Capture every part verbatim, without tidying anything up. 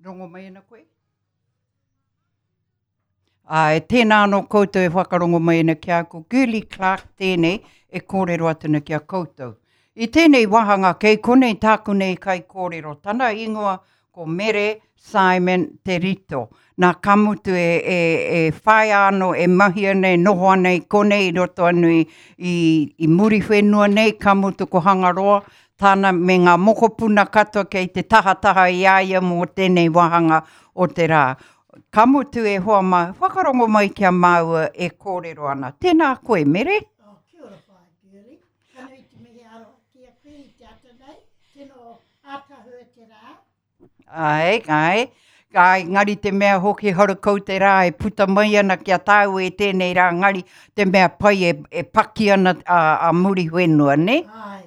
Rongo mai ana koe? Āe, tēnā anō koutou e whakarongo mai ana ki a ko Girlie Clark tēnei e kōrero atu ana ki a koutou. I tēnei wāhanga kei konei tāku nei kaikōrero, tana ingoa ko Mere Simon Te Rito. Nā ka mutu e, e, e whaia anō e mahi ana e noho ana i konei i roto anu i, i, i Muriwhenua nei, ka mutu ko Hangaroa, tāna me ngā mokopuna katoa kei te tahataha i a ia mō tēnei wāhanga o te rā. Ka mutu e hoa mā, whakarongo mai ki a māua e kōrero ana. Tēnā koe, Mere? Oh, kia ora whaea, Girlie. Ka nui te mihi aroha ki a koe i te ata nei. Tino ātahua te rā. Ai, ai. Ai, ngari te mea hoki horakau te rā e puta mai ana ki a tāu e tēnei rā, ngari te mea pai e, e paki ana a, a Muriwhenua, ne? Ai.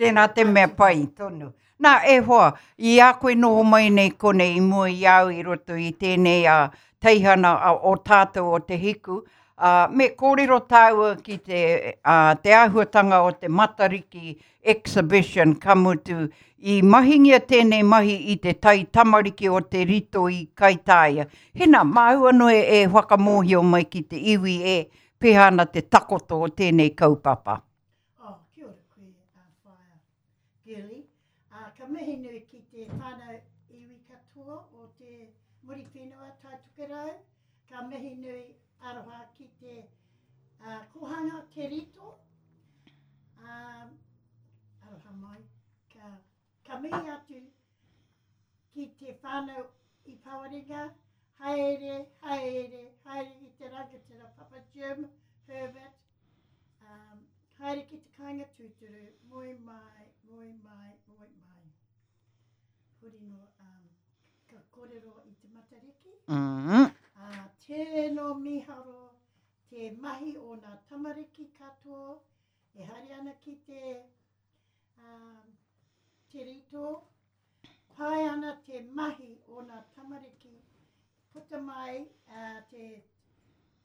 Tēnā te mea pai tonu. Nā, e hoa, i a koe noho mai nei konei i mua i au i roto i tēnei a teihana a, o tātou o Te Hiku, a, me kōrero tāua ki te, a, te āhuatanga o te Matariki exhibition ka mutu i mahingia tēnei mahi i te tai tamariki o Te Rito i Kaitāia. Hena, māu anō e, e whakamōhio mai ki te iwi e pēhea ana te takoto o tēnei kaupapa. Oh, kia ora koe, uh, whaea, Girlie. Uh, ka mihi nui ki te whānau iwi katoa o te Muriwhenua Taitokerau. Ka mihi nui aroha ki te uh, kohanga Te Rito. Um, aroha mai. Ka, ka mihi atu ki te whānau i Pawarenga. Haere, haere, haere i te rangatira Papa Jim, Herbert. Um, haere ki te kāinga tūturu, moe mai, moe mai, moe mai. Huri no, um, ka kōrero i te Matariki. Mm -hmm. Uh, tēno miharo te mahi o nā tamariki katoa e haere ana ki te, um, te Rito. Pai ana te mahi o nā tamariki puta mai uh, te,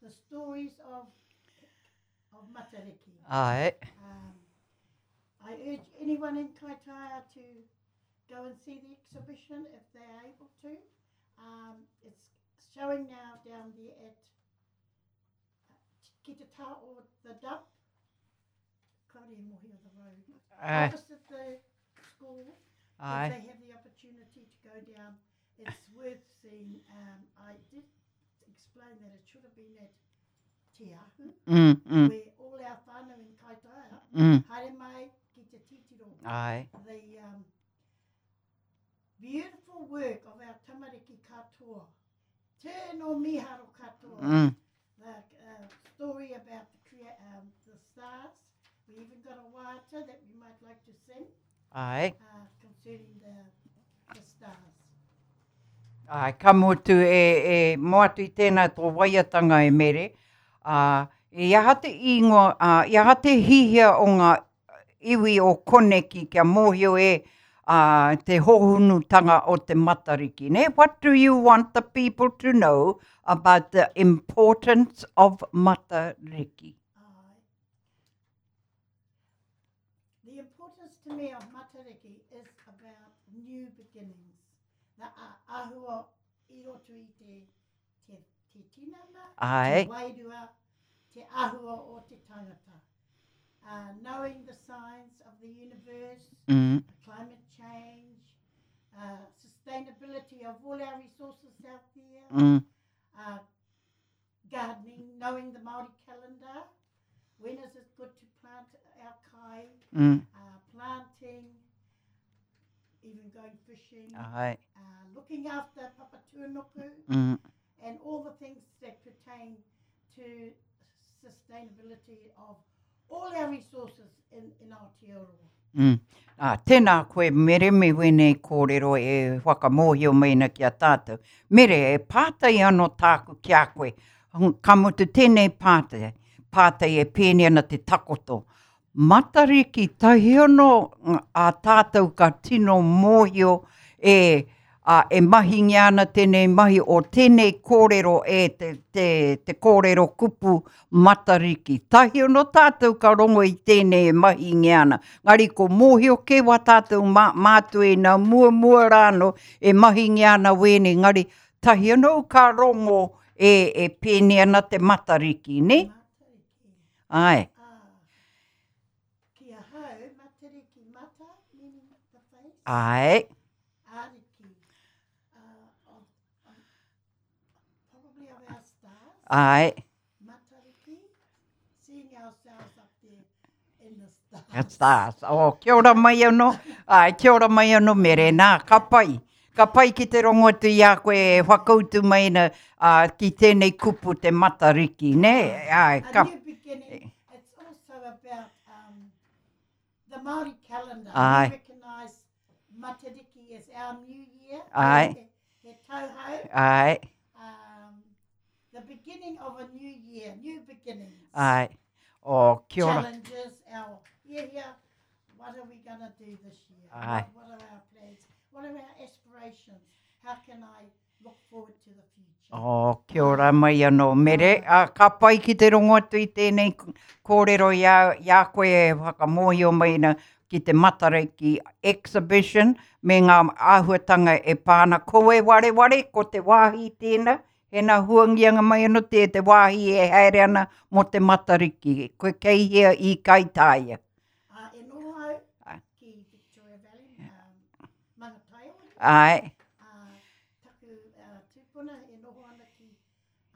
the stories of, of Matariki. Ai. Um, I urge anyone in Kaitaia to go and see the exhibition if they are able to. Um, it's showing now down there at ki te taha o the dump. Kaore e mōhio the road. Ai. Opposite the school, Ai. if they have the opportunity to go down, it's worth seeing. Um, I did explain that it should have been at Te Ahu, Mm, mm, where all our whānau in Kaitaia mm. haere mai ki te titiro. Ai. The um, beautiful work of our tamariki katoa. Tēno miharo katoa. Mm. The uh, story about the, crea- um, the stars. We even got a waiata that we might like to sing Ai. uh, concerning the, the stars. Ai, ka mutu e, e mo atu i tēnā tō waiatanga e Mere. Uh, i aha te ingoa, uh, i aha te hihia o ngā iwi o koneki kia mōhio e uh, te hohunutanga o te Matariki. Ne? What do you want the people to know about the importance of Matariki? Ai. The importance to me of Matariki is about new beginnings. The ahua i roto i te, te, te tinana, Ai. te wairua, te ahua o te tangata. Uh, knowing the signs of the universe, Mm. climate change, uh, sustainability of all our resources out there, Mm. uh, gardening, knowing the Māori calendar, when is it good to plant our kai, Mm. uh, planting, even going fishing, Ai. uh, looking after Papatūānuku, Mm. and all the things that pertain to sustainability of all our resources in, in Aotearoa. Mm. Ah, tēnā koe Mere me wēnei kōrero e whakamōhio mai ki a tātou. Mere, e pātai anō tāku ki a koe. Ka mutu tēnei pātai, pātai e pēne ana te takoto. Matariki tahi anō a tātou ka tino mōhio e a e mahingia ana tēnei mahi o tēnei kōrero e te, te, te kōrero kupu Matariki. Tahi ono tātou ka rongo i tēnei e mahingia ana. Ngari ko mōhio ke wā tātou mā, mātua i nā mua mua rāno e mahingia ana wēnei. Ngari tahi ono ka rongo e, e pēne ana te Matariki, ne? Matariki. Ai. Ah, ki ahau, Matariki mata, meaning the face. Ai. Ariki, uh, of, of, probably of our stars. Ai. Matariki, seeing ourselves up there in the stars. Ka stars. Oh, kia ora mai anō. Ai, kia ora mai anō mere. Nā, ka pai. Ka pai ki te rongo atu i a koe e whakautu mai na, uh, ki tēnei kupu te Matariki, ne? Ai, A ka... new beginning. It's also about um, the Māori calendar. Aye. We recognise Matariki as our new year. Aye. He, he tauhou. Ai, Um, the beginning of a new year, new beginnings. ai. Oh, kia ora. Challenges, our yeah, yeah. What are we going to do this year? Aye. What, what are our plans? What are our aspirations? How can I look forward to the future? Oh, kia ora mai anō, mere. A, ka pai ki te rongo atu i tēnei kōrero i a, i a koe e whakamōhio mai na ki te Matariki exhibition me ngā āhuatanga e pāna. Ko e wareware, ko te wāhi tēnā, he nā huangianga mai anō te, te wāhi e haere ana mō te Matariki. Koe kei hea i Kaitāia. Uh, e noho au Ai. ki Victoria Valley, um, Mangataiori. Ai, Uh, taku uh, tūpuna e noho ana ki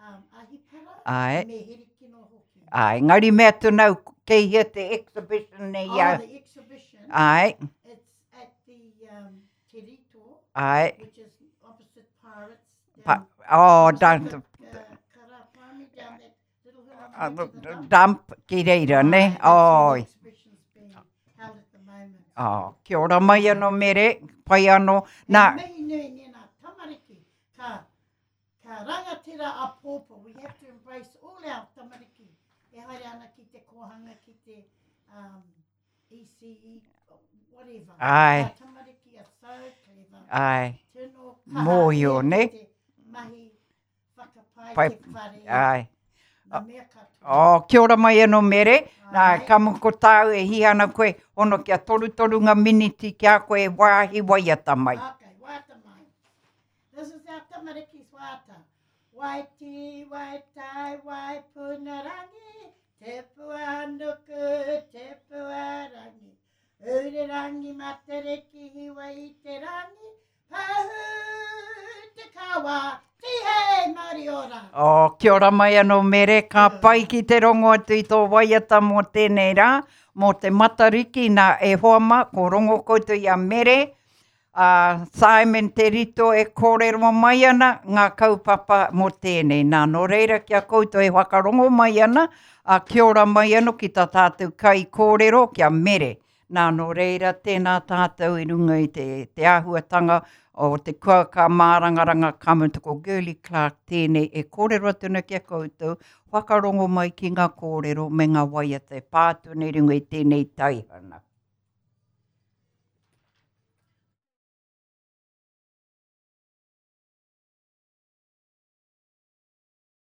um, Ahipara ai, me Herikino hoki. ai. Ngari mea tūnau, kei hea te exhibition nei Oh, au. the exhibition. Ai, It's at the um, Te Rito, ai. which is opposite Pirates. Pa, Down, oh, opposite down the, the, uh, Kara Primary, down that little hill uh, on the the way to the dump. dump ki reira, ne? Aye, that's where the Oi. exhibition's being held at the moment. Oh, kia ora mai anō mere, pai anō. Nā, He mihi nui nē nā tamariki, ka, ka rangatira a pōpō. We have to embrace all our tamariki. E haere ana ki te kōhanga, ki te um, E C E, whatever. Ai. Our tamariki are so clever. ai, Tino kaha Mōhio, ia ki ne? te mahi whakapai Pai- te whare, ai. ngā mea katoa. Oh, kia ora mai anō mere. Nā, Ai. ka muku tāu e hi ana koe, hono kia torutoru ngā miniti ki a koe wāhi waiata mai. Okay, waiata mai. This is our tamariki's waiata. Waiti, waitai, waipunarangi, te pua nuku, te pua rangi. Urerangi matariki hiwa i te rangi, pahu te kawa, tihei mauri ora. Oh, kia ora mai anō mere, ka pai ki te rongo atu i tō waiata mō tēnei rā, mō te Matariki nā e hoa mā, ko rongo koutou i a mere, a Simon Te Rito e kōrero mai ana ngā kaupapa mō tēnei. Nā, nō reira kia koutou e whakarongo mai ana, a kia ora mai anō ki tā tātou kai kōrero kia mere. Nā, nō reira tēnā tātou i runga i te, te āhuatanga o te kua ka mārangaranga ka mutu ko Girlie Clark tēnei e kōrero atu ana ki a koutou, whakarongo mai ki ngā kōrero me ngā waiata e pā atu nei runga i tēnei taihana.